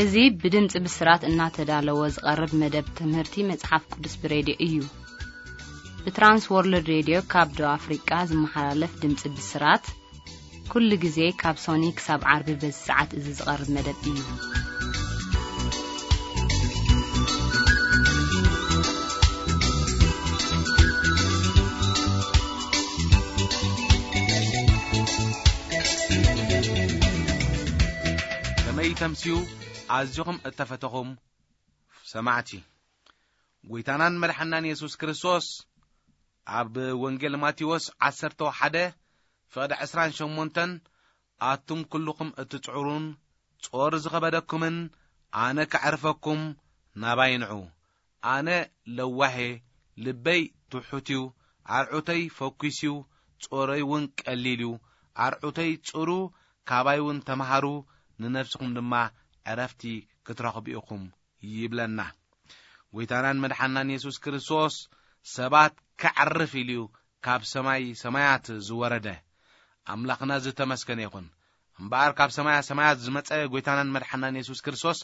እዚ ብድምፂ ብስራት እናተዳለወ ዝቐርብ መደብ ትምህርቲ መጽሓፍ ቅዱስ ብሬድዮ እዩ። ብትራንስ ወርልድ ሬድዮ ካብ ደቡብ ኣፍሪቃ ዝመሓላለፍ ድምፂ ብስራት፣ ኩሉ ግዜ ካብ ሶኒ ክሳብ ዓርቢ በዚ ሰዓት እዚ ዝቐርብ መደብ እዩ። ከመይ ተምስዩ ኣዝኹም እተፈተኹም ሰማዕቲ፣ ጎይታናን መድሓናን የሱስ ክርስቶስ ኣብ ወንጌል ማቴዎስ ዓሰርተ ሓደ ፍቕዲ ዕስራን ሸሞንተን፣ ኣቱም ኩልኹም እትጽዕሩን ጾር ዝኸበደኩምን፣ ኣነ ከዕርፈኩም ናባይ ንዑ። ኣነ ለዋሄ፣ ልበይ ትሑት እዩ፣ ኣርዑተይ ፈኲስ እዩ፣ ጾረይ እውን ቀሊል እዩ። ኣርዑተይ ጽሩ፣ ካባይ እውን ተምሃሩ፣ ንነፍስኹም ድማ ዕረፍቲ ክትረኽቡ ኢኹም ይብለና። ጎይታናን መድሓናን የሱስ ክርስቶስ ሰባት ከዕርፍ ኢሉ እዩ ካብ ሰማይ ሰማያት ዝወረደ። ኣምላኽና ዝተመስገነ ይኹን። እምበኣር ካብ ሰማያ ሰማያት ዝመጸ ጎይታናን መድሓናን የሱስ ክርስቶስ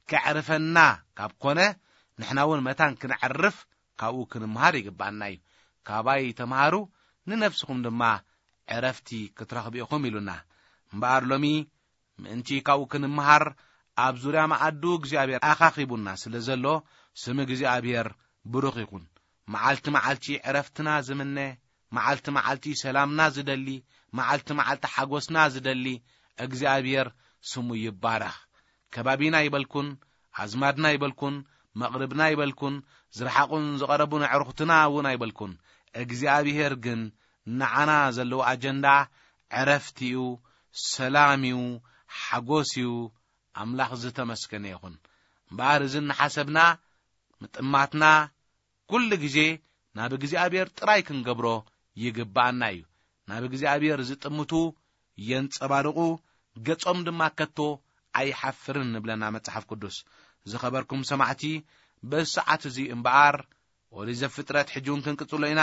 ከዕርፈና ካብ ኮነ፣ ንሕና እውን መታን ክንዕርፍ ካብኡ ክንምሃር ይግባኣና እዩ። ካባይ ተምሃሩ፣ ንነፍስኹም ድማ ዕረፍቲ ክትረኽቡ ኢኹም ኢሉና። እምበኣር ሎሚ ምእንቲ ካብኡ ክንምሃር፣ ኣብ ዙርያ መኣዱ እግዚኣብሔር ኣኻኺቡና ስለ ዘሎ፣ ስም እግዚኣብሔር ብሩኽ ይኹን። መዓልቲ መዓልቲ ዕረፍትና ዝምነ፣ መዓልቲ መዓልቲ ሰላምና ዝደሊ፣ መዓልቲ መዓልቲ ሓጎስና ዝደሊ እግዚኣብሔር ስሙ ይባረኽ። ከባቢና ይበልኩን፣ ኣዝማድና ይበልኩን፣ መቕርብና ይበልኩን፣ ዝረሓቑን ዝቐረቡን ኣዕሩኽትና እውን ኣይበልኩን። እግዚኣብሔር ግን ንዓና ዘለዎ ኣጀንዳ ዕረፍቲ እዩ፣ ሰላም እዩ፣ ሓጎስ እዩ። ኣምላኽ ዝተመስገነ ይኹን። እምበኣር እዚ እናሓሰብና፣ ምጥማትና ኩሉ ግዜ ናብ እግዚኣብሔር ጥራይ ክንገብሮ ይግብኣና እዩ። ናብ እግዚኣብሔር ዝጥምቱ የንጸባርቑ፣ ገጾም ድማ ከቶ ኣይሓፍርን ንብለና መጽሓፍ ቅዱስ። ዝኸበርኩም ሰማዕቲ፣ በዚ ሰዓት እዚ እምበኣር ኦሪት ዘፍጥረት ሕጂ እውን ክንቅጽሎ ኢና።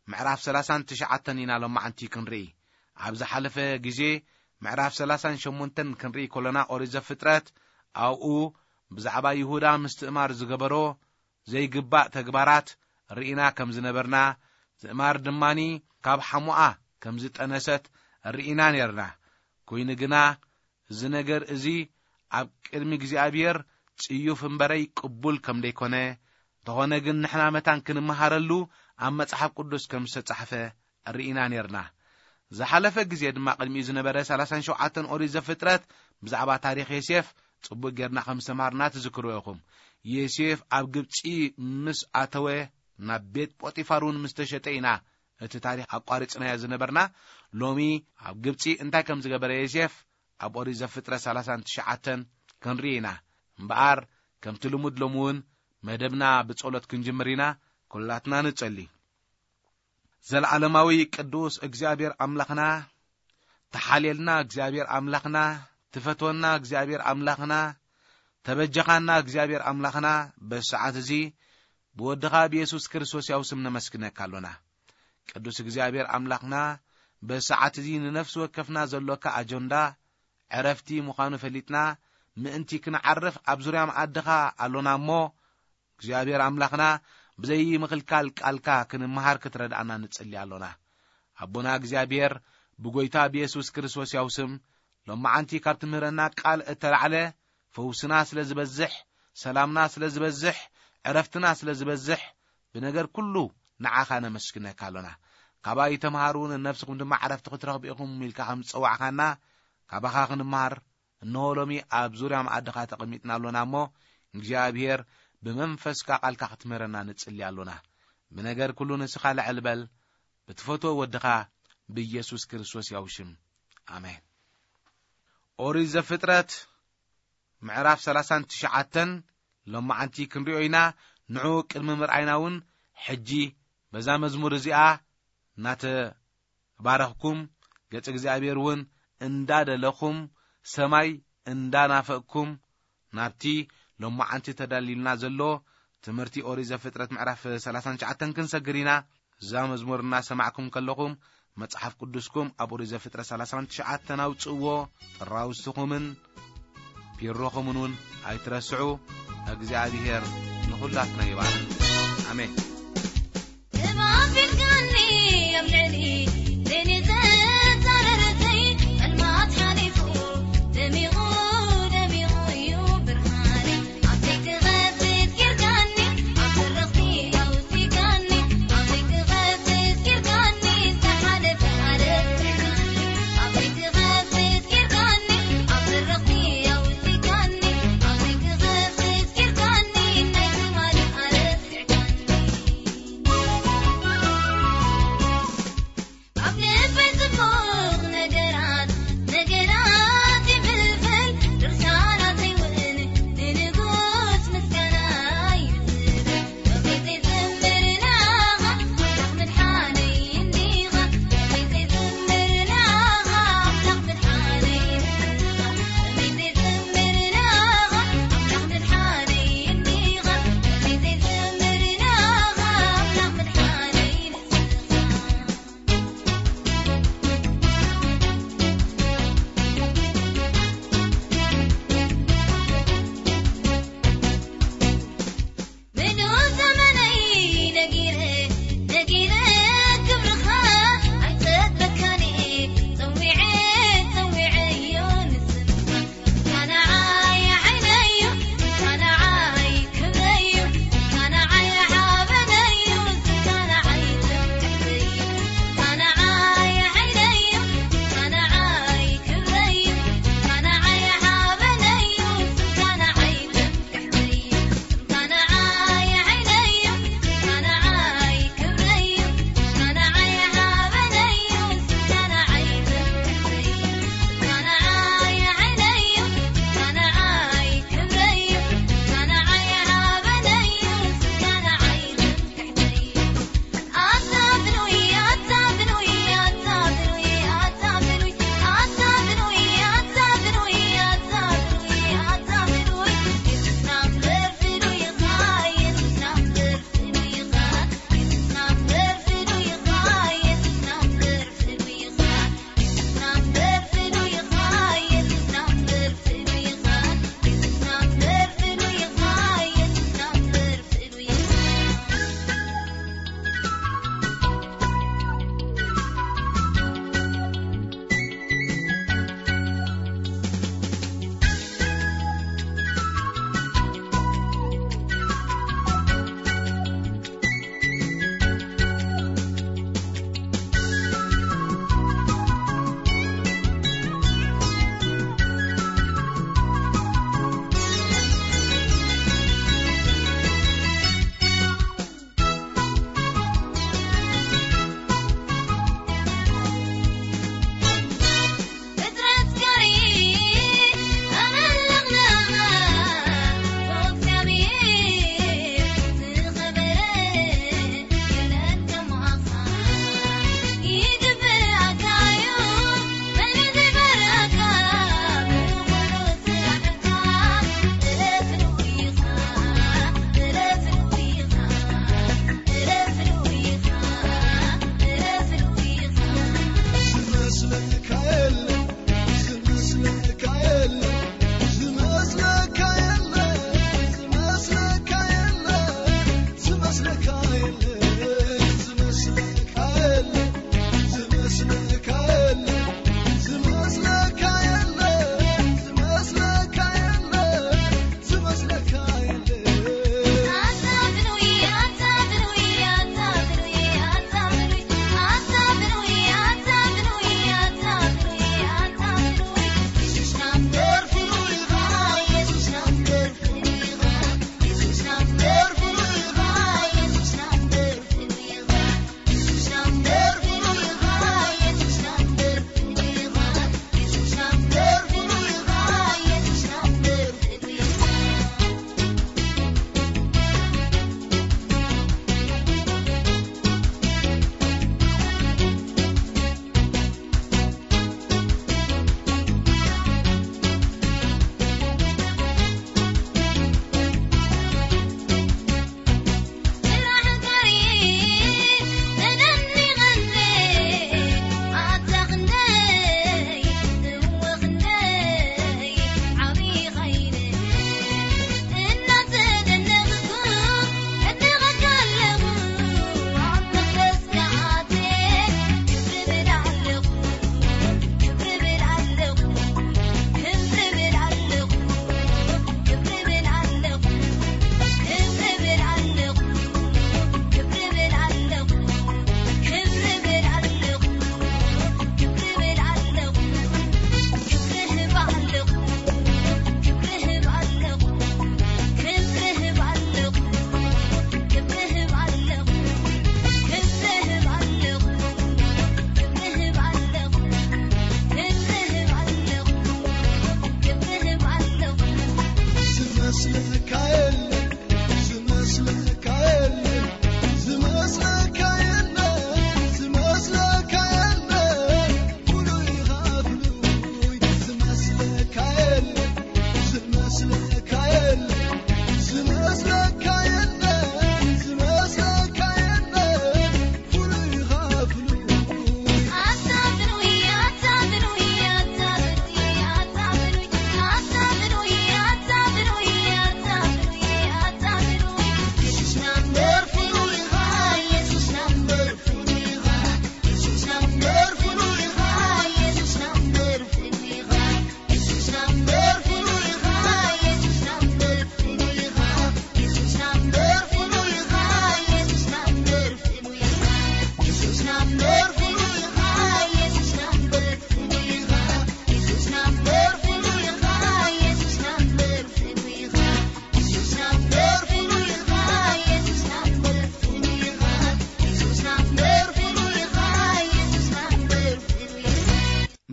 ምዕራፍ ሰላሳን ትሽዓተን ኢና ሎማዓንቲ ክንርኢ። ኣብ ዝሓለፈ ግዜ ምዕራፍ ሰላሳን ሸሞንተን ክንርኢ ከሎና፣ ኦሪት ዘፍጥረት፣ ኣብኡ ብዛዕባ ይሁዳ ምስትእማር ዝገበሮ ዘይግባእ ተግባራት ርኢና ከም ዝነበርና፣ ትእማር ድማኒ ካብ ሓሙኣ ከም ዝጠነሰት ርኢና ኔርና። ኮይኑ ግና፣ እዚ ነገር እዚ ኣብ ቅድሚ እግዚኣብሔር ጽዩፍ እምበረይ ቅቡል ከም ደይኮነ፣ እንተኾነ ግን ንሕና መታን ክንመሃረሉ ኣብ መጽሓፍ ቅዱስ ከም ዝተጻሕፈ ርኢና ኔርና። ዝሓለፈ ግዜ ድማ፣ ቅድሚኡ ዝነበረ ሰላሳን ሸውዓተን ኦሪት ዘፍጥረት፣ ብዛዕባ ታሪኽ ዮሴፍ ጽቡቕ ጌርና ከም ዝተምሃርና ትዝክሩ ኢኹም። ዮሴፍ ኣብ ግብጺ ምስ ኣተወ፣ ናብ ቤት ጶጢፋር እውን ምስ ተሸጠ ኢና እቲ ታሪኽ ኣቋሪጽናዮ ዝነበርና። ሎሚ ኣብ ግብጺ እንታይ ከም ዝገበረ ዮሴፍ ኣብ ኦሪት ዘፍጥረት ሰላሳን ትሽዓተን ክንርኢ ኢና። እምበኣር፣ ከምቲ ልሙድ ሎሚ እውን መደብና ብጸሎት ክንጅምር ኢና። ኩላትና ንጸሊ። ዘለዓለማዊ ቅዱስ እግዚኣብሔር ኣምላኽና፣ ተሓልየልና እግዚኣብሔር ኣምላኽና፣ ትፈትወና እግዚኣብሔር ኣምላኽና፣ ተበጀኻና እግዚኣብሔር ኣምላኽና፣ በዚ ሰዓት እዚ ብወድኻ ብየሱስ ክርስቶስ ያው ስም ነመስግነካ ኣሎና። ቅዱስ እግዚኣብሔር ኣምላኽና፣ በዚ ሰዓት እዚ ንነፍሲ ወከፍና ዘሎካ ኣጀንዳ ዕረፍቲ ምዃኑ ፈሊጥና፣ ምእንቲ ክንዓርፍ ኣብ ዙርያ መኣድኻ ኣሎና እሞ፣ እግዚኣብሔር ኣምላኽና፣ ብዘይ ምኽልካል ቃልካ ክንመሃር ክትረድኣና ንጽሊ ኣሎና። ኣቦና እግዚኣብሔር፣ ብጎይታ ብየሱስ ክርስቶስ ያው ስም፣ ሎማዓንቲ ካብ ትምህረና ቃል እተላዕለ፣ ፈውስና ስለ ዝበዝሕ፣ ሰላምና ስለ ዝበዝሕ፣ ዕረፍትና ስለ ዝበዝሕ፣ ብነገር ኩሉ ንዓኻ ነመስግነካ ኣሎና። ካባይ ተምሃሩ፣ ንነፍስኹም ድማ ዕረፍቲ ክትረኽቡ ኢኹም ኢልካ ከም ዝጸዋዕካና፣ ካባኻ ክንምሃር፣ እንሆ ሎሚ ኣብ ዙርያ መኣድኻ ተቐሚጥና ኣሎና እሞ፣ እግዚኣብሔር ብመንፈስካ ቃልካ ክትምህረና ንጽሊ ኣሎና። ብነገር ኩሉ ንስኻ ልዕል በል፣ ብትፈትዎ ወድኻ ብኢየሱስ ክርስቶስ ያው ሽም። ኣሜን። ኦሪት ዘፍጥረት ምዕራፍ ሰላሳን ትሽዓተን ሎማዓንቲ ክንሪኦ ኢና። ንዑ ቅድሚ ምርኣይና እውን፣ ሕጂ በዛ መዝሙር እዚኣ እናተባረኽኩም፣ ገጽ እግዚኣብሔር እውን እንዳደለኹም፣ ሰማይ እንዳናፈቕኩም፣ ናብቲ ሎማዓንቲ ተዳሊልና ዘሎ ትምህርቲ ኦሪት ዘፍጥረት ምዕራፍ ሰላሳን ትሽዓተን ክንሰግር ኢና። እዛ መዝሙር እናሰማዕኩም ከለኹም፣ መጽሓፍ ቅዱስኩም ኣብ ኦሪት ዘፍጥረት ሰላሳን ትሽዓተን ኣውጽእዎ፣ ጥራውዝትኹምን ፒሮኹምን እውን ኣይትረስዑ። እግዚኣብሔር ንኹላትና ይባርክ። ኣሜን።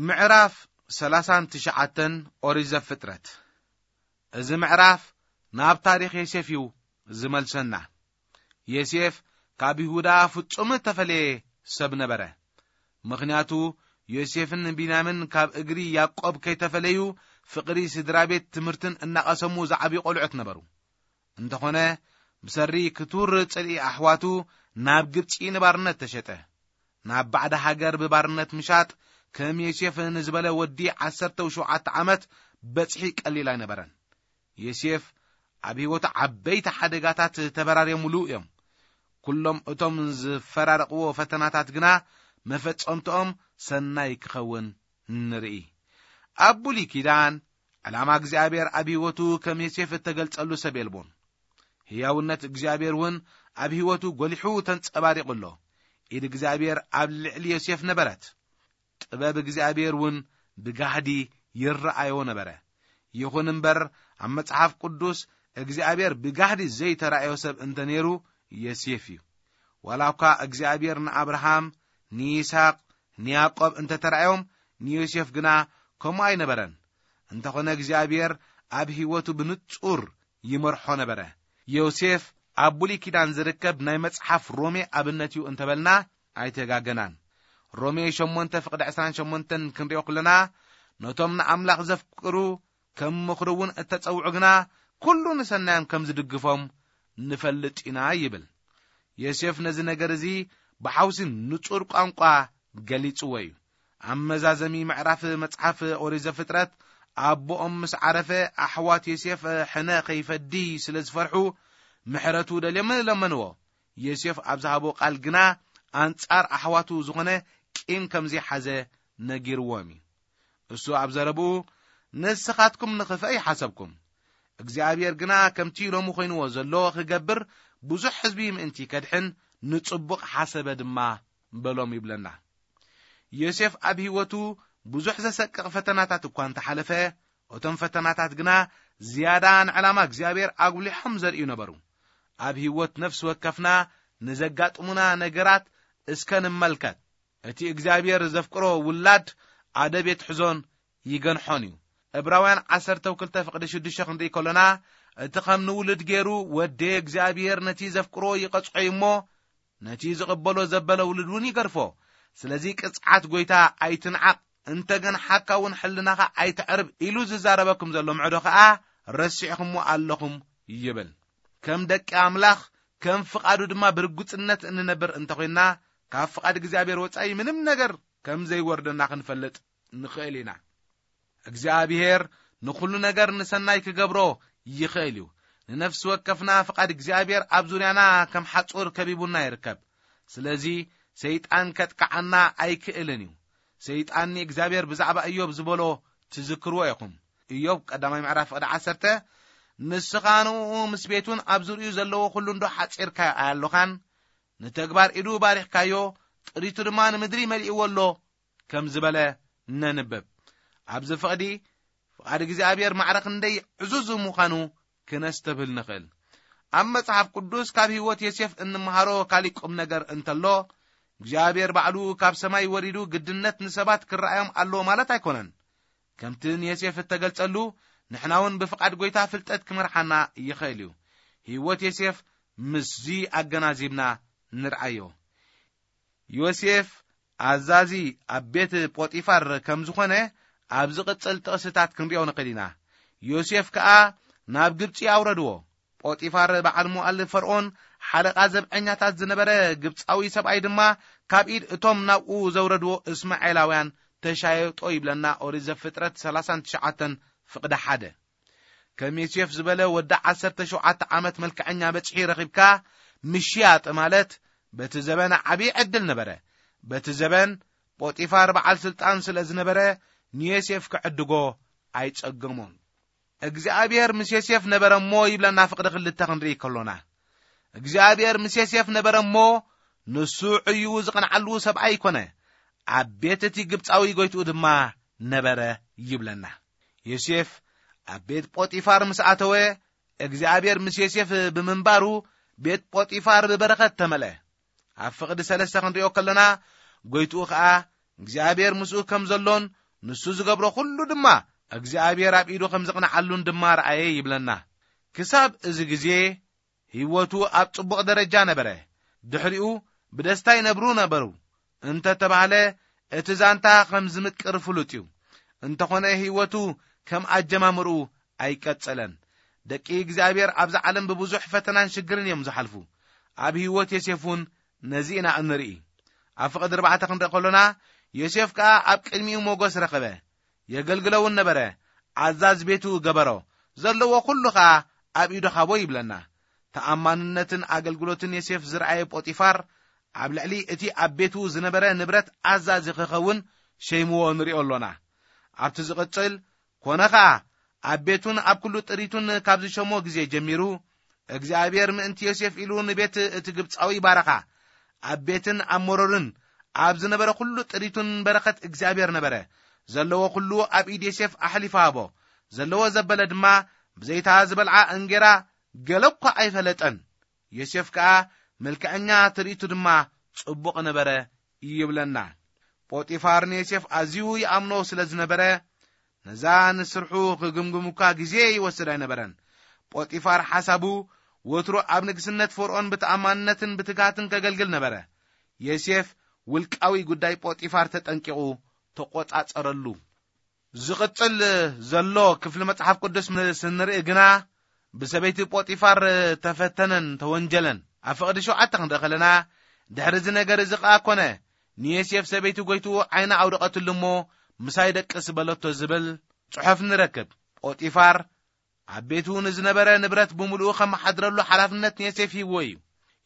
ምዕራፍ ሰላሳን ትሽዓተን ኦሪት ዘፍጥረት። እዚ ምዕራፍ ናብ ታሪኽ ዮሴፍ እዩ ዝመልሰና። ዮሴፍ ካብ ይሁዳ ፍጹም እተፈለየ ሰብ ነበረ። ምኽንያቱ፣ ዮሴፍን ቢንያምን ካብ እግሪ ያዕቆብ ከይተፈለዩ፣ ፍቕሪ ስድራ ቤት ትምህርትን እናቐሰሙ ዝዓብዩ ቈልዑት ነበሩ። እንተኾነ፣ ብሰሪ ክቱር ጽልኢ ኣሕዋቱ ናብ ግብጺ ንባርነት ተሸጠ። ናብ ባዕዲ ሃገር ብባርነት ምሻጥ ከም ዮሴፍ ንዝበለ ወዲ ዓሰርተ ሸውዓተ ዓመት በጽሒ ቀሊል ኣይነበረን። ዮሴፍ ኣብ ህይወቱ ዓበይቲ ሓደጋታት ተበራርዮምሉ እዮም። ኩሎም እቶም ዝፈራረቕዎ ፈተናታት ግና መፈጸምትኦም ሰናይ ክኸውን ንርኢ። ኣብ ብሉይ ኪዳን፣ ዕላማ እግዚኣብሔር ኣብ ህይወቱ ከም ዮሴፍ እተገልጸሉ ሰብ የልቦን። ህያውነት እግዚኣብሔር እውን ኣብ ህይወቱ ጐሊሑ ተንጸባሪቑ ኣሎ። ኢድ እግዚኣብሔር ኣብ ልዕሊ ዮሴፍ ነበረት። ጥበብ እግዚኣብሔር እውን ብጋህዲ ይረኣዮ ነበረ። ይኹን እምበር፣ ኣብ መጽሓፍ ቅዱስ እግዚኣብሔር ብጋህዲ ዘይተራእዮ ሰብ እንተ ነይሩ፣ ዮሴፍ እዩ። ዋላ እኳ እግዚኣብሔር ንኣብርሃም፣ ንይስሐቅ፣ ንያዕቆብ እንተ ተራእዮም፣ ንዮሴፍ ግና ከምኡ ኣይነበረን። እንተኾነ እግዚኣብሔር ኣብ ህይወቱ ብንጹር ይመርሖ ነበረ። ዮሴፍ ኣብ ብሉይ ኪዳን ዝርከብ ናይ መጽሓፍ ሮሜ ኣብነት እዩ እንተበልና ኣይተጋገናን። ሮሜ ሸሞንተ ፍቕዲ ዕስራን ሸሞንተን ክንሪኦ ከለና፣ ነቶም ንኣምላኽ ዘፍቅሩ ከም ምኽሩ እውን እተጸውዑ ግና፣ ኩሉ ንሰናዮም ከም ዝድግፎም ንፈልጥ ኢና ይብል። ዮሴፍ ነዚ ነገር እዚ ብሓውሲ ንጹር ቋንቋ ገሊጽዎ እዩ። ኣብ መዛዘሚ ምዕራፍ መጽሓፍ ኦሪት ዘፍጥረት፣ ኣቦኦም ምስ ዓረፈ፣ ኣሕዋት ዮሴፍ ሕነ ከይፈዲ ስለ ዝፈርሑ፣ ምሕረቱ ደልዮም ለመንዎ። ዮሴፍ ኣብ ዝሃቦ ቃል ግና፣ ኣንጻር ኣሕዋቱ ዝኾነ ቂም ከም ዘይሓዘ ነጊርዎም እዩ። እሱ ኣብ ዘረብኡ፣ "ንስኻትኩም ንኽፍአ ይሓሰብኩም፣ እግዚኣብሔር ግና ከምቲ ሎሚ ኮይንዎ ዘሎ ክገብር፣ ብዙሕ ህዝቢ ምእንቲ ከድሕን ንጽቡቕ ሓሰበ ድማ" በሎም ይብለና። ዮሴፍ ኣብ ህይወቱ ብዙሕ ዘሰቅቕ ፈተናታት እኳ እንተሓለፈ፣ እቶም ፈተናታት ግና ዝያዳ ንዕላማ እግዚኣብሔር ኣጉሊሖም ዘርእዩ ነበሩ። ኣብ ህይወት ነፍሲ ወከፍና ንዘጋጥሙና ነገራት እስከ ንመልከት። እቲ እግዚኣብሔር ዘፍቅሮ ውላድ ኣደብ የትሕዞን ይገንሖን እዩ። ዕብራውያን ዓሰርተ ክልተ ፍቕዲ ሽዱሽተ ክንርኢ ከሎና፣ እቲ ከም ንውሉድ ገይሩ ወደየ እግዚኣብሔር ነቲ ዘፍቅሮ ይቐጽዖ እዩ እሞ፣ ነቲ ዝቕበሎ ዘበለ ውሉድ እውን ይገርፎ። ስለዚ ቅጽዓት ጐይታ ኣይትንዓቕ፣ እንተ ገንሓካ እውን ሕልናኻ ኣይተዕርብ ኢሉ ዝዛረበኩም ዘሎ ምዕዶ ኸኣ ረሲዕኹምዎ ኣለኹም ይብል። ከም ደቂ ኣምላኽ፣ ከም ፍቓዱ ድማ ብርጉጽነት እንነብር እንተኾይንና፣ ካብ ፍቓድ እግዚኣብሔር ወጻኢ ምንም ነገር ከም ዘይወርደና ክንፈልጥ ንኽእል ኢና። እግዚኣብሔር ንኹሉ ነገር ንሰናይ ክገብሮ ይኽእል እዩ። ንነፍሲ ወከፍና ፍቓድ እግዚኣብሔር ኣብ ዙርያና ከም ሓጹር ከቢቡና ይርከብ። ስለዚ ሰይጣን ከጥቅዓና ኣይክእልን እዩ። ሰይጣን ንእግዚኣብሔር ብዛዕባ እዮብ ዝበሎ ትዝክርዎ ኢኹም። እዮብ ቀዳማይ ምዕራፍ ፍቕዲ ዓሰርተ፣ "ንስኻ ንእኡ ምስ ቤቱን ኣብ ዙርዩ ዘለዎ ኩሉ እንዶ ሓጺርካዮ ኣያሎኻን? ንተግባር ኢዱ ባሪኽካዮ፣ ጥሪቱ ድማ ንምድሪ መሊእዎ ኣሎ" ከም ዝበለ ነንብብ። ኣብዚ ፍቕዲ፣ ፍቓድ እግዚኣብሔር ማዕረ ክንደይ ዕዙዝ ምዃኑ ክነስተብህል ንኽእል። ኣብ መጽሓፍ ቅዱስ ካብ ህይወት ዮሴፍ እንመሃሮ ካሊእ ቁም ነገር እንተሎ፣ እግዚኣብሔር ባዕሉ ካብ ሰማይ ወሪዱ ግድነት ንሰባት ክረኣዮም ኣለዎ ማለት ኣይኮነን። ከምቲ ንዮሴፍ እተገልጸሉ፣ ንሕና እውን ብፍቓድ ጐይታ ፍልጠት ክመርሓና ይኽእል እዩ። ህይወት ዮሴፍ ምስዚ ኣገናዚብና ንርኣዮ። ዮሴፍ ኣዛዚ ኣብ ቤት ጶጢፋር ከም ዝኾነ ኣብ ዝቕጽል ጥቕስታት ክንሪኦ ንኽእል ኢና። ዮሴፍ ከኣ ናብ ግብጺ ኣውረድዎ። ጶጢፋር በዓል ሞኣል ፈርዖን ሓለቓ ዘብዐኛታት ዝነበረ ግብጻዊ ሰብኣይ ድማ ካብ ኢድ እቶም ናብኡ ዘውረድዎ እስማኤላውያን ተሻየጦ ይብለና ኦሪት ዘፍጥረት ሰላሳን ትሽዓተን ፍቕዲ ሓደ። ከም ዮሴፍ ዝበለ ወዲ ዓሰርተ ሸውዓተ ዓመት መልክዐኛ በጽሒ ረኺብካ ምሽያጥ ማለት በቲ ዘበን ዓብዪ ዕድል ነበረ። በቲ ዘበን ጶጢፋር በዓል ስልጣን ስለ ዝነበረ ንዮሴፍ ክዕድጎ ኣይጸገሞን። እግዚኣብሔር ምስ ዮሴፍ ነበረ እሞ ይብለና ፍቕዲ ክልተ ክንርኢ ከሎና። እግዚኣብሔር ምስ ዮሴፍ ነበረ እሞ ንሱ ዕዩኡ ዝቐንዓሉ ሰብኣይ ኮነ። ኣብ ቤት እቲ ግብጻዊ ጎይትኡ ድማ ነበረ ይብለና። ዮሴፍ ኣብ ቤት ጶጢፋር ምስ ኣተወ፣ እግዚኣብሔር ምስ ዮሴፍ ብምንባሩ ቤት ጶጢፋር ብበረኸት ተመልአ። ኣብ ፍቕዲ ሰለስተ ክንሪኦ ከለና፣ ጎይትኡ ኸኣ እግዚኣብሔር ምስኡ ከም ዘሎን ንሱ ዝገብሮ ኩሉ ድማ እግዚኣብሔር ኣብ ኢዱ ከም ዝቕንዓሉን ድማ ረኣየ ይብለና። ክሳብ እዚ ግዜ ህይወቱ ኣብ ጽቡቕ ደረጃ ነበረ። ድሕሪኡ ብደስታ ይነብሩ ነበሩ እንተ ተባህለ፣ እቲ ዛንታ ከም ዝምቅር ፍሉጥ እዩ። እንተኾነ ህይወቱ ከም ኣጀማምርኡ ኣይቀጸለን። ደቂ እግዚኣብሔር ኣብዛ ዓለም ብብዙሕ ፈተናን ሽግርን እዮም ዝሓልፉ። ኣብ ህይወት ዮሴፍ እውን ነዚ ኢና እንርኢ። ኣብ ፍቕዲ ኣርባዕተ ክንርኢ ከሎና፣ ዮሴፍ ከኣ ኣብ ቅድሚኡ ሞገስ ረኸበ። የገልግለውን ነበረ። ኣዛዝ ቤቱ ገበሮ። ዘለዎ ኩሉ ኸኣ ኣብ ኢዱ ሃቦ ይብለና። ተኣማንነትን ኣገልግሎትን ዮሴፍ ዝረኣየ ጶጢፋር፣ ኣብ ልዕሊ እቲ ኣብ ቤቱ ዝነበረ ንብረት ኣዛዚ ክኸውን ሸይምዎ ንሪኦ ኣሎና። ኣብቲ ዝቕጽል፣ ኮነ ኸኣ ኣብ ቤቱን ኣብ ኩሉ ጥሪቱን ካብ ዝሸሞ ግዜ ጀሚሩ፣ እግዚኣብሔር ምእንቲ ዮሴፍ ኢሉ ንቤት እቲ ግብጻዊ ባረኻ። ኣብ ቤትን ኣብ መሮርን ኣብ ዝነበረ ኩሉ ጥሪቱን በረኸት እግዚኣብሔር ነበረ። ዘለዎ ኩሉ ኣብ ኢድ ዮሴፍ ኣሕሊፉ ሃቦ። ዘለዎ ዘበለ ድማ ብዘይታ ዝበልዓ እንጌራ ገለ እኳ ኣይፈለጠን። ዮሴፍ ከኣ መልክዐኛ ትርኢቱ ድማ ጽቡቕ ነበረ ይብለና። ጶጢፋር ንዮሴፍ ኣዝዩ ይኣምኖ ስለ ዝነበረ፣ ነዛ ንስርሑ ክግምግም እኳ ግዜ ይወስድ ኣይነበረን። ጶጢፋር ሓሳቡ ወትሩ ኣብ ንግስነት ፈርዖን ብተኣማንነትን ብትግሃትን ከገልግል ነበረ። ዮሴፍ ውልቃዊ ጉዳይ ጶጢፋር ተጠንቂቑ ተቖጻጸረሉ። ዝቕጽል ዘሎ ክፍሊ መጽሓፍ ቅዱስ ምስ እንርኢ ግና፣ ብሰበይቲ ጶጢፋር ተፈተነን ተወንጀለን። ኣብ ፍቕዲ ሸውዓተ ክንርኢ ከለና፣ ድሕሪ እዚ ነገር እዚ ኸኣ ኮነ፣ ንዮሴፍ ሰበይቲ ጐይትኡ ዓይና ኣውደቐትሉ እሞ፣ ምሳይ ደቅስ በለቶ ዝብል ጽሑፍ ንረክብ። ጶጢፋር ኣብ ቤቱ ንዝነበረ ንብረት ብምሉኡ ከመሓድረሉ ሓላፍነት ንዮሴፍ ሂብዎ እዩ።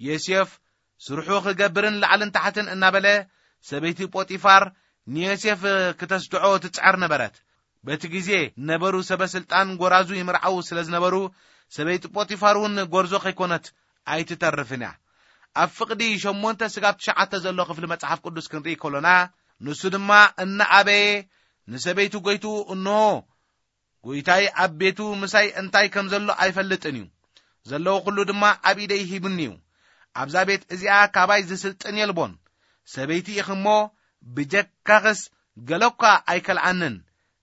ዮሴፍ ስርሑ ክገብርን ላዕልን ታሕትን እናበለ፣ ሰበይቲ ጶጢፋር ንዮሴፍ ክተስድዖ ትጽዕር ነበረት። በቲ ግዜ ነበሩ ሰበ ስልጣን ጎራዙ ይምርዓው ስለ ዝነበሩ፣ ሰበይቲ ጶጢፋር እውን ጎርዞ ከይኮነት ኣይትተርፍን እያ። ኣብ ፍቕዲ ሸሞንተ ስጋብ ትሽዓተ ዘሎ ክፍሊ መጽሓፍ ቅዱስ ክንርኢ ከሎና፣ ንሱ ድማ እናኣበየ ንሰበይቱ ጐይትኡ፣ "እንሆ፣ ጐይታይ ኣብ ቤቱ ምሳይ እንታይ ከም ዘሎ ኣይፈልጥን እዩ። ዘለዎ ኩሉ ድማ ኣብ ኢደይ ሂቡኒ እዩ። ኣብዛ ቤት እዚኣ ካባይ ዝስልጥን የልቦን። ሰበይቲ ኢኺ እሞ፣ ብጀካኽስ ገለ እኳ ኣይከልኣንን።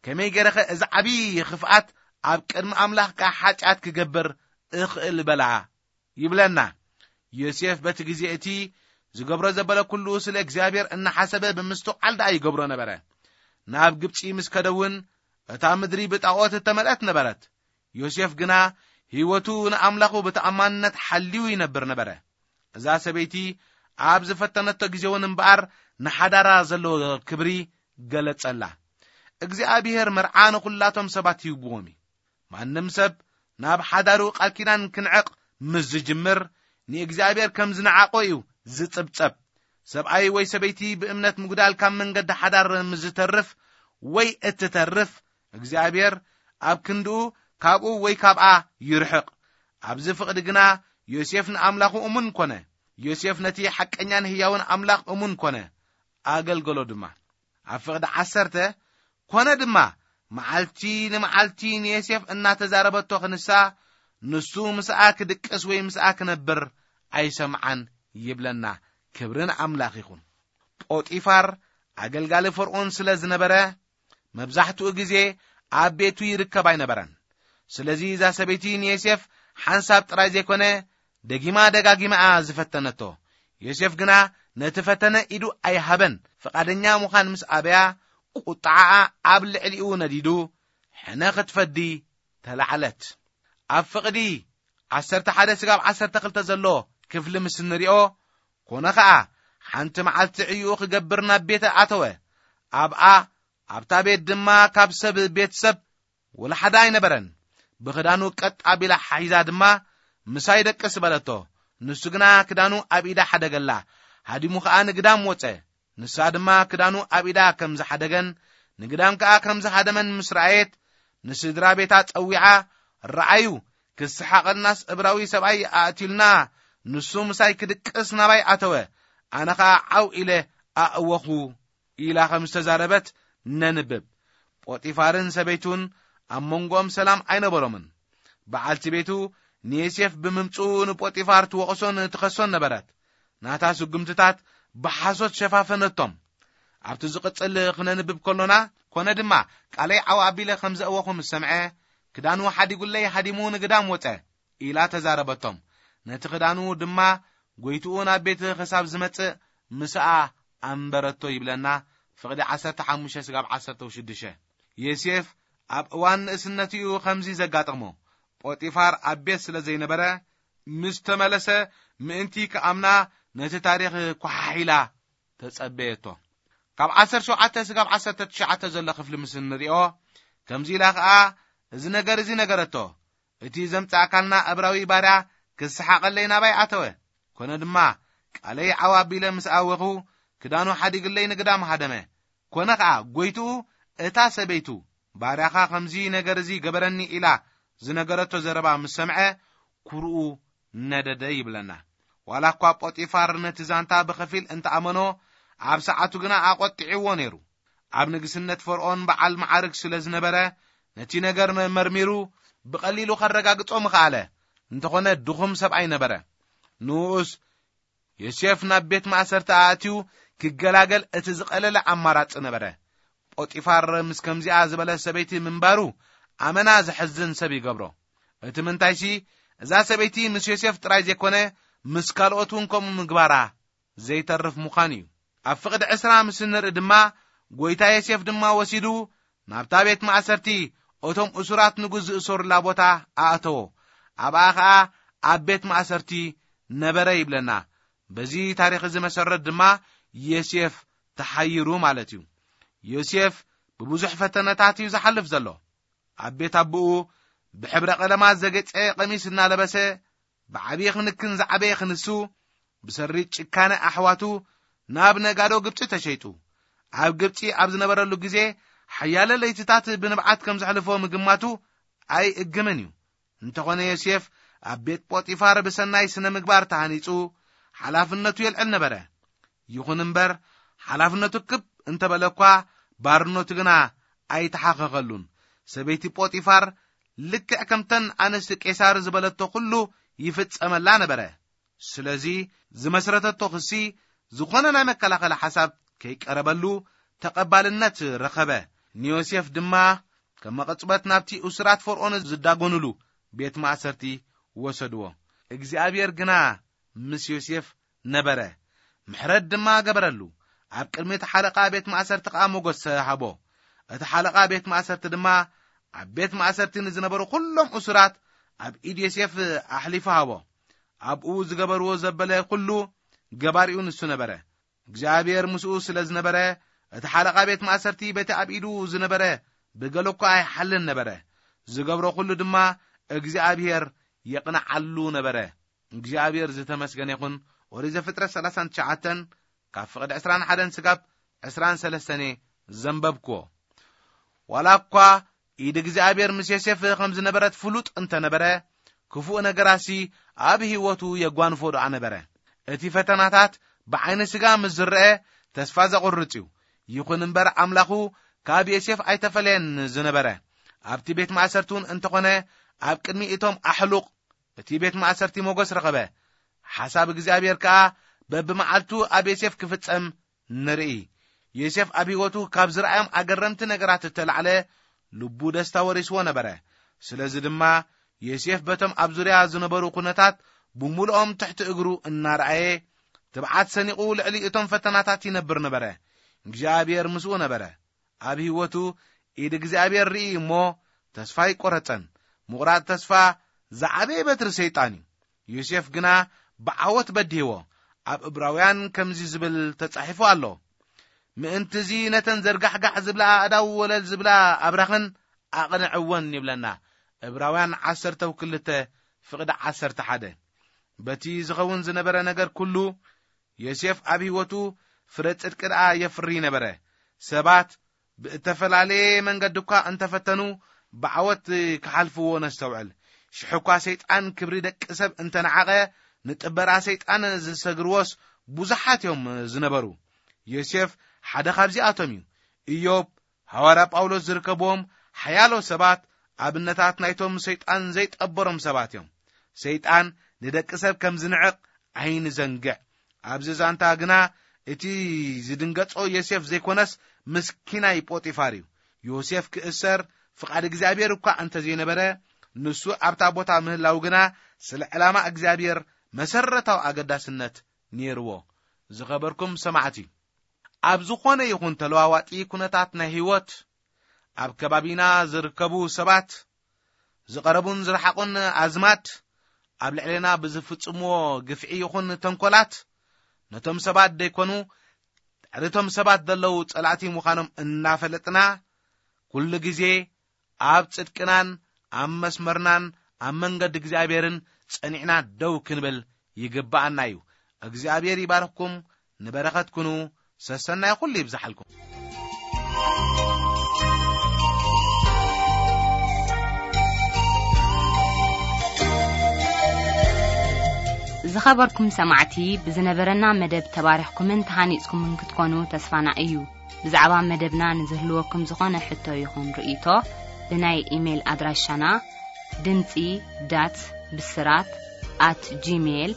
ከመይ ገይረኸ እዚ ዓብዪ ክፍኣት ኣብ ቅድሚ ኣምላኽ ከኣ ሓጢኣት ክገብር እኽእል?" በላ ይብለና። ዮሴፍ በቲ ግዜ እቲ ዝገብሮ ዘበለ ኩሉ ስለ እግዚኣብሔር እናሓሰበ ብምስትውዓል ደኣ ይገብሮ ነበረ። ናብ ግብጺ ምስ ከደ እውን እታ ምድሪ ብጣዖት እተመልአት ነበረት። ዮሴፍ ግና ህይወቱ ንኣምላኹ ብተኣማንነት ሓልዩ ይነብር ነበረ። እዛ ሰበይቲ ኣብ ዝፈተነቶ ግዜ እውን እምበኣር ንሓዳራ ዘለዎ ክብሪ ገለጸላ። እግዚኣብሔር መርዓ ንኹላቶም ሰባት ይህብዎም እዩ። ማንም ሰብ ናብ ሓዳሩ ቃል ኪዳን ክንዕቕ ምስ ዝጅምር፣ ንእግዚኣብሔር ከም ዝነዓቖ እዩ ዝጽብጸብ። ሰብኣይ ወይ ሰበይቲ ብእምነት ምጉዳል ካብ መንገዲ ሓዳር ምስ ዝተርፍ ወይ እትተርፍ፣ እግዚኣብሔር ኣብ ክንድኡ ካብኡ ወይ ካብኣ ይርሕቕ። ኣብዚ ፍቕዲ ግና ዮሴፍ ንኣምላኹ እሙን ኮነ። ዮሴፍ ነቲ ሓቀኛን ህያውን ኣምላኽ እሙን ኮነ፣ ኣገልገሎ ድማ። ኣብ ፍቕዲ ዓሰርተ ኮነ ድማ፣ መዓልቲ ንመዓልቲ ንዮሴፍ እናተዛረበቶ ክንሳ፣ ንሱ ምስኣ ክድቅስ ወይ ምስኣ ክነብር ኣይሰምዓን ይብለና። ክብሪ ንኣምላኽ ይኹን። ጶጢፋር ኣገልጋሊ ፈርዖን ስለ ዝነበረ፣ መብዛሕትኡ ግዜ ኣብ ቤቱ ይርከብ ኣይነበረን። ስለዚ እዛ ሰበይቲ ንዮሴፍ ሓንሳብ ጥራይ ዘይኮነ፣ ደጊማ ደጋጊማ እያ ዝፈተነቶ። ዮሴፍ ግና ነቲ ፈተነ ኢዱ ኣይሃበን። ፍቓደኛ ምዃን ምስ ኣበያ፣ ቁጥዓኣ ኣብ ልዕሊኡ ነዲዱ፣ ሕነ ክትፈዲ ተላዕለት። ኣብ ፍቕዲ ዓሰርተ ሓደ ስጋብ ዓሰርተ ክልተ ዘሎ ክፍሊ ምስ እንሪኦ፣ ኮነ ኸኣ፣ ሓንቲ መዓልቲ ዕዩኡ ክገብር ናብ ቤት ኣተወ። ኣብኣ፣ ኣብታ ቤት ድማ ካብ ሰብ ቤተሰብ ወላ ሓደ ኣይነበረን። ብኽዳኑ ቀጥ ኣቢላ ሓሒዛ ድማ፣ "ምሳይ ደቅስ" በለቶ። ንሱ ግና ክዳኑ ኣብ ኢዳ ሓደገላ። ሃዲሙ ኸኣ ንግዳም ወጸ። ንሳ ድማ ክዳኑ ኣብ ኢዳ ከም ዝሓደገን ንግዳም ከኣ ከም ዝሃደመን ምስ ረኣየት፣ ንስድራ ቤታ ጸዊዓ፣ "ረኣዩ፣ ክስሓቐልናስ እብራዊ ሰብኣይ ኣእትዩልና፣ ንሱ ምሳይ ክድቅስ ናባይ ኣተወ፣ ኣነ ኸኣ ዓው ኢለ ኣእወኹ" ኢላ ከም ዝተዛረበት ነንብብ። ጶጢፋርን ሰበይቱን ኣብ መንጎኦም ሰላም ኣይነበሮምን። በዓልቲ ቤቱ ንዮሴፍ ብምምጽኡ ንጶጢፋር ትወቕሶን ትኸሶን ነበረት። ናታ ስጉምትታት ብሓሶት ሸፋፈነቶም። ኣብቲ ዝቕጽል ክነንብብ ከሎና፣ ኮነ ድማ ቃለይ ዓው ኣቢለ ከም ዘእወኹ ምስ ሰምዐ፣ ክዳኑ ሓዲጉለይ ሃዲሙ ንግዳም ወጸ፣ ኢላ ተዛረበቶም። ነቲ ክዳኑ ድማ ጎይትኡ ናብ ቤት ክሳብ ዝመጽእ ምስኣ ኣንበረቶ ይብለና። ፍቕዲ ዓሰርተ ሓሙሽተ ስጋብ ዓሰርተ ሽዱሽተ። ዮሴፍ ኣብ እዋን ንእስነትኡ ከምዚ ዘጋጠሞ፣ ጶጢፋር ኣብ ቤት ስለ ዘይነበረ፣ ምስ ተመለሰ ምእንቲ ክኣምና ነቲ ታሪኽ ኳሓሒላ ተጸበየቶ። ካብ ዓሰርተ ሸውዓተ ስጋብ ዓሰርተ ትሽዓተ ዘሎ ክፍሊ ምስ እንሪኦ፣ ከምዚ ኢላ ኸኣ እዚ ነገር እዚ ነገረቶ፣ "እቲ ዘምጻእካልና እብራዊ ባርያ ክስሓቐለይ ናባይ ኣተወ። ኮነ ድማ ቃለይ ዓው ኣቢለ ምስ ኣወኹ፣ ክዳኑ ሓዲግለይ ንግዳም ሃደመ። ኮነ ኸኣ ጎይትኡ፣ እታ ሰበይቱ፣ 'ባርያኻ ከምዚ ነገር እዚ ገበረኒ' ኢላ ዝነገረቶ ዘረባ ምስ ሰምዐ፣ ኩርኡ ነደደ" ይብለና። ዋላ እኳ ጶጢፋር ነቲ ዛንታ ብኸፊል እንተኣመኖ፣ ኣብ ሰዓቱ ግና ኣቖጢዕዎ ነይሩ። ኣብ ንግስነት ፈርዖን በዓል መዓርግ ስለ ዝነበረ፣ ነቲ ነገር መርሚሩ ብቐሊሉ ከረጋግጾ ምኽኣለ። እንተኾነ ድኹም ሰብኣይ ነበረ። ንኡስ ዮሴፍ ናብ ቤት ማእሰርቲ ኣእትዩ ክገላገል እቲ ዝቐለለ ኣማራጺ ነበረ። ጶጢፋር ምስ ከምዚኣ ዝበለ ሰበይቲ ምንባሩ ኣመና ዘሕዝን ሰብ ይገብሮ። እቲ ምንታይሲ፣ እዛ ሰበይቲ ምስ ዮሴፍ ጥራይ ዘይኮነ፣ ምስ ካልኦት እውን ከምኡ ምግባራ ዘይተርፍ ምዃኑ እዩ። ኣብ ፍቕዲ ዕስራ ምስ እንርኢ ድማ፣ ጎይታ ዮሴፍ ድማ ወሲዱ ናብታ ቤት ማእሰርቲ፣ እቶም እሱራት ንጉስ ዝእሰሩላ ቦታ ኣእተዎ። ኣብኣ ኸኣ ኣብ ቤት ማእሰርቲ ነበረ ይብለና። በዚ ታሪኽ እዚ መሰረት ድማ ዮሴፍ ተሓይሩ ማለት እዩ። ዮሴፍ ብብዙሕ ፈተነታት እዩ ዝሓልፍ ዘሎ። ኣብ ቤት ኣቦኡ ብሕብረ ቀለማት ዘጌጸ ቀሚስ እናለበሰ፣ ብዓብዪ ክንክን ዝዓበየ ክንሱ፣ ብሰሪ ጭካነ ኣሕዋቱ ናብ ነጋዶ ግብጺ ተሸይጡ። ኣብ ግብጺ ኣብ ዝነበረሉ ግዜ፣ ሓያለ ለይትታት ብንብዓት ከም ዘሕልፎ ምግማቱ ኣይእግምን እዩ። እንተኾነ ዮሴፍ ኣብ ቤት ጶጢፋር ብሰናይ ስነ ምግባር ተሃኒጹ፣ ሓላፍነቱ የልዕል ነበረ። ይኹን እምበር፣ ሓላፍነቱ ክብ እንተበለ እኳ፣ ባርነቱ ግና ኣይተሓኸኸሉን። ሰበይቲ ጶጢፋር ልክዕ ከምተን ኣንስቲ ቄሳር ዝበለቶ ኩሉ ይፍጸመላ ነበረ። ስለዚ ዝመስረተቶ ክሲ ዝኾነ ናይ መከላኸሊ ሓሳብ ከይቀረበሉ ተቐባልነት ረኸበ። ንዮሴፍ ድማ ከም መቐጽበት ናብቲ እሱራት ፈርዖን ዝዳጎኑሉ ቤት ማእሰርቲ ወሰድዎ። እግዚኣብሔር ግና ምስ ዮሴፍ ነበረ፣ ምሕረት ድማ ገበረሉ። ኣብ ቅድሚ እቲ ሓለቓ ቤት ማእሰርቲ ኸኣ ሞገስ ሃቦ። እቲ ሓለቓ ቤት ማእሰርቲ ድማ ኣብ ቤት ማእሰርቲ ንዝነበሩ ኩሎም እሱራት ኣብ ኢድ ዮሴፍ ኣሕሊፉ ሃቦ። ኣብኡ ዝገበርዎ ዘበለ ኩሉ ገባሪኡ ንሱ ነበረ። እግዚኣብሔር ምስኡ ስለ ዝነበረ፣ እቲ ሓለቓ ቤት ማእሰርቲ በቲ ኣብ ኢዱ ዝነበረ ብገለ እኳ ኣይሓልን ነበረ። ዝገብሮ ኩሉ ድማ እግዚኣብሔር የቕንዓሉ ነበረ። እግዚኣብሔር ዝተመስገነ ይኹን። ኦሪት ዘፍጥረት ሰላሳን ትሽዓተን፣ ካብ ፍቕዲ ዕስራን ሓደን ስጋብ ዕስራን ሰለስተን ዘንበብክዎ። ዋላ እኳ ኢድ እግዚኣብሔር ምስ ዮሴፍ ከም ዝነበረት ፍሉጥ እንተነበረ፣ ክፉእ ነገራሲ ኣብ ህይወቱ የጓንፎ ደኣ ነበረ። እቲ ፈተናታት ብዓይኒ ስጋ ምስ ዝረአ ተስፋ ዘቑርጽ እዩ። ይኹን እምበር ኣምላኹ ካብ ዮሴፍ ኣይተፈለየን ዝነበረ። ኣብቲ ቤት ማእሰርቲ እውን እንተኾነ፣ ኣብ ቅድሚ እቶም ኣሕሉቕ እቲ ቤት ማእሰርቲ ሞገስ ረኸበ። ሓሳብ እግዚኣብሔር ከኣ በብመዓልቱ ኣብ ዮሴፍ ክፍጸም ንርኢ። ዮሴፍ ኣብ ህይወቱ ካብ ዝረኣዮም ኣገረምቲ ነገራት እተላዕለ ልቡ ደስታ ወሪስዎ ነበረ። ስለዚ ድማ ዮሴፍ በቶም ኣብ ዙርያ ዝነበሩ ኩነታት ብምሉኦም ትሕቲ እግሩ እናረኣየ፣ ትብዓት ሰኒቑ ልዕሊ እቶም ፈተናታት ይነብር ነበረ። እግዚኣብሔር ምስኡ ነበረ። ኣብ ህይወቱ ኢድ እግዚኣብሔር ርኢ እሞ ተስፋ ኣይቆረጸን። ምቑራጽ ተስፋ ዝዓበየ በትሪ ሰይጣን እዩ። ዮሴፍ ግና ብዓወት በዲህዎ። ኣብ እብራውያን ከምዚ ዝብል ተጻሒፉ ኣሎ፣ "ምእንትዚ ነተን ዘርጋሕጋሕ ዝብላ ኣእዳው ወለል ዝብላ ኣብራኽን ኣቕንዕወን" ይብለና። እብራውያን ዓሰርተ ክልተ ፍቕዲ ዓሰርተ ሓደ። በቲ ዝኸውን ዝነበረ ነገር ኩሉ፣ ዮሴፍ ኣብ ህይወቱ ፍረ ጽድቂ ደኣ የፍሪ ነበረ። ሰባት ብእተፈላለየ መንገዲ እኳ እንተፈተኑ፣ ብዓወት ክሓልፍዎ ነስተውዕል። ሽሕ እኳ ሰይጣን ክብሪ ደቂ ሰብ እንተነዓቐ፣ ንጥበራ ሰይጣን ዝሰግርዎስ ብዙሓት እዮም ዝነበሩ። ዮሴፍ ሓደ ካብዚኣቶም እዩ። ኢዮብ፣ ሃዋርያ ጳውሎስ ዝርከብዎም ሓያሎ ሰባት ኣብነታት ናይቶም ሰይጣን ዘይጠበሮም ሰባት እዮም። ሰይጣን ንደቂ ሰብ ከም ዝንዕቕ ኣይንዘንግዕ። ኣብዚ ዛንታ ግና እቲ ዝድንገጾ ዮሴፍ ዘይኮነስ፣ ምስኪናይ ጶጢፋር እዩ። ዮሴፍ ክእሰር ፍቓድ እግዚኣብሔር እኳ እንተ ዘይነበረ፣ ንሱ ኣብታ ቦታ ምህላው ግና ስለ ዕላማ እግዚኣብሔር መሰረታዊ ኣገዳስነት ነይርዎ። ዝኸበርኩም ሰማዕቲ፣ ኣብ ዝኾነ ይኹን ተለዋዋጢ ኩነታት ናይ ህይወት፣ ኣብ ከባቢና ዝርከቡ ሰባት፣ ዝቐረቡን ዝረሓቑን ኣዝማድ፣ ኣብ ልዕሌና ብዝፍጽምዎ ግፍዒ ይኹን ተንኮላት፣ ነቶም ሰባት ደይኮኑ፣ ድሕሪቶም ሰባት ዘለዉ ጸላእቲ ምዃኖም እናፈለጥና፣ ኩሉ ግዜ ኣብ ጽድቅናን ኣብ መስመርናን ኣብ መንገዲ እግዚኣብሔርን ጸኒዕና ደው ክንብል ይግብኣና እዩ። እግዚኣብሔር ይባርኽኩም፣ ንበረኸት ኩኑ፣ ሰሰናይ ኩሉ ይብዝሓልኩም። ዝኸበርኩም ሰማዕቲ፣ ብዝነበረና መደብ ተባሪኽኩምን ተሃኒጽኩምን ክትኮኑ ተስፋና እዩ። ብዛዕባ መደብና ንዝህልወኩም ዝኾነ ሕቶ ይኹን ርእይቶ፣ ብናይ ኢሜይል ኣድራሻና ድምጺ ዳት ብስራት ኣት ጂሜይል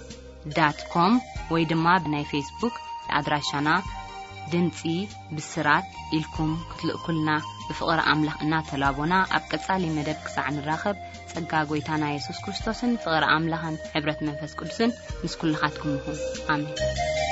ዳት ኮም ወይ ድማ ብናይ ፌስቡክ ኣድራሻና ድምጺ ብስራት ኢልኩም ክትልእኩልና ብፍቕሪ ኣምላኽ እናተላቦና፣ ኣብ ቀጻሊ መደብ ክሳዕ ንራኸብ፣ ጸጋ ጐይታና የሱስ ክርስቶስን ፍቕሪ ኣምላኽን ሕብረት መንፈስ ቅዱስን ምስ ኩልኻትኩም ይኹን። ኣሜን።